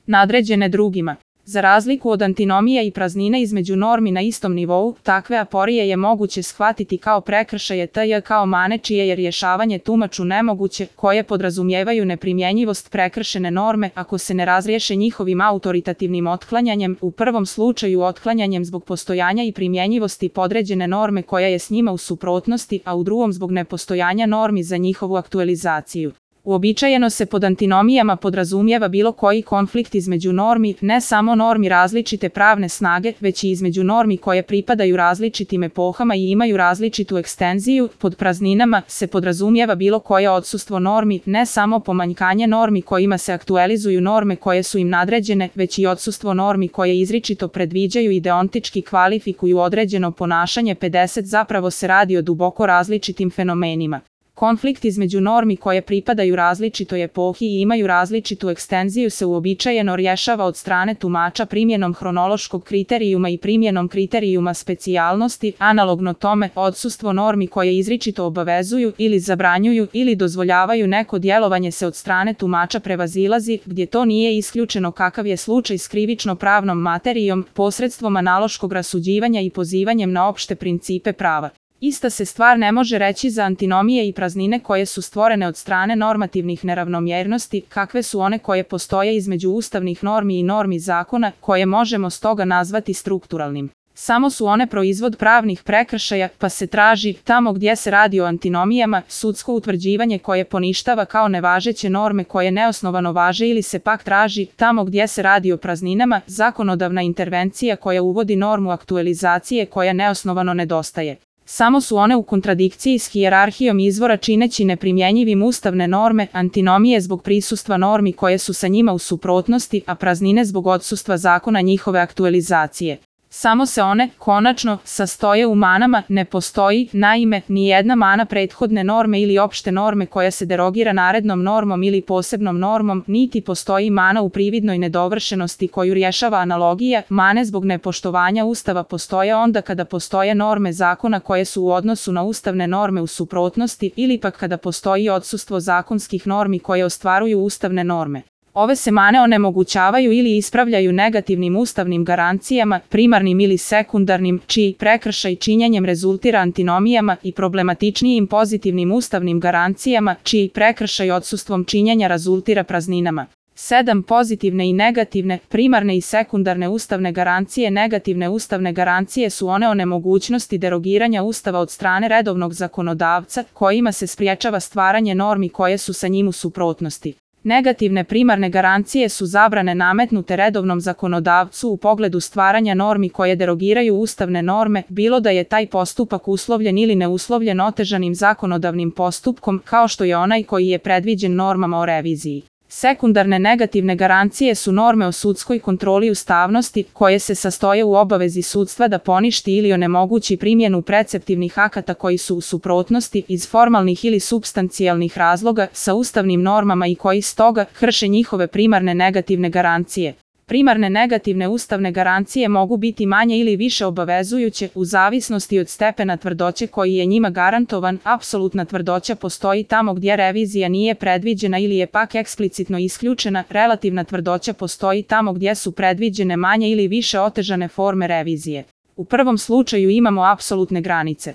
nadređene drugima. Za razliku od antinomija i praznine između normi na istom nivou, takve aporije je moguće shvatiti kao prekršaje tj. kao mane čije je rješavanje tumaču nemoguće, koje podrazumijevaju neprimjenjivost prekršene norme ako se ne razriješe njihovim autoritativnim otklanjanjem, u prvom slučaju otklanjanjem zbog postojanja i primjenjivosti podređene norme koja je s njima u suprotnosti, a u drugom zbog nepostojanja normi za njihovu aktualizaciju. Uobičajeno se pod antinomijama podrazumijeva bilo koji konflikt između normi, ne samo normi različite pravne snage, već i između normi koje pripadaju različitim epohama i imaju različitu ekstenziju. Pod prazninama se podrazumijeva bilo koje odsustvo normi, ne samo pomanjkanje normi kojima se aktualizuju norme koje su im nadređene, već i odsustvo normi koje izričito predviđaju i deontički kvalifikuju određeno ponašanje. 50 Zapravo se radi o duboko različitim fenomenima. Konflikt između normi koje pripadaju različitoj epohi i imaju različitu ekstenziju se uobičajeno rješava od strane tumača primjenom hronološkog kriterijuma i primjenom kriterijuma specijalnosti. Analogno tome, odsustvo normi koje izričito obavezuju ili zabranjuju ili dozvoljavaju neko djelovanje se od strane tumača prevazilazi, gdje to nije isključeno kakav je slučaj s krivično-pravnom materijom, posredstvom analoškog rasuđivanja i pozivanjem na opšte principe prava. Ista se stvar ne može reći za antinomije i praznine koje su stvorene od strane normativnih neravnomjernosti, kakve su one koje postoje između ustavnih normi i normi zakona, koje možemo stoga nazvati strukturalnim. Samo su one proizvod pravnih prekršaja, pa se traži, tamo gdje se radi o antinomijama, sudsko utvrđivanje koje poništava kao nevažeće norme koje neosnovano važe ili se pak traži, tamo gdje se radi o prazninama, zakonodavna intervencija koja uvodi normu aktualizacije koja neosnovano nedostaje. Samo su one u kontradikciji s hijerarhijom izvora čineći neprimjenjivim ustavne norme, antinomije zbog prisustva normi koje su sa njima u suprotnosti, a praznine zbog odsustva zakona njihove aktualizacije. Samo se one, konačno, sastoje u manama, ne postoji, naime, ni jedna mana prethodne norme ili opšte norme koja se derogira narednom normom ili posebnom normom, niti postoji mana u prividnoj nedovršenosti koju rješava analogija. Mane zbog nepoštovanja Ustava postoje onda kada postoje norme zakona koje su u odnosu na ustavne norme u suprotnosti ili pak kada postoji odsustvo zakonskih normi koje ostvaruju ustavne norme. Ove se mane onemogućavaju ili ispravljaju negativnim ustavnim garancijama, primarnim ili sekundarnim, čiji prekršaj činjenjem rezultira antinomijama, i problematičnijim pozitivnim ustavnim garancijama, čiji prekršaj odsustvom činjenja rezultira prazninama. 7. Pozitivne i negativne, primarne i sekundarne ustavne garancije. Negativne ustavne garancije su one o nemogućnosti derogiranja Ustava od strane redovnog zakonodavca, kojima se spriječava stvaranje normi koje su sa njim u suprotnosti. Negativne primarne garancije su zabrane nametnute redovnom zakonodavcu u pogledu stvaranja normi koje derogiraju ustavne norme, bilo da je taj postupak uslovljen ili neuslovljen otežanim zakonodavnim postupkom, kao što je onaj koji je predviđen normama o reviziji. Sekundarne negativne garancije su norme o sudskoj kontroli ustavnosti, koje se sastoje u obavezi sudstva da poništi ili onemogući primjenu preceptivnih akata koji su u suprotnosti iz formalnih ili supstancijalnih razloga sa ustavnim normama i koji stoga krše njihove primarne negativne garancije. Primarne negativne ustavne garancije mogu biti manje ili više obavezujuće u zavisnosti od stepena tvrdoće koji je njima garantovan. Apsolutna tvrdoća postoji tamo gdje revizija nije predviđena ili je pak eksplicitno isključena. Relativna tvrdoća postoji tamo gdje su predviđene manje ili više otežane forme revizije. U prvom slučaju imamo apsolutne granice.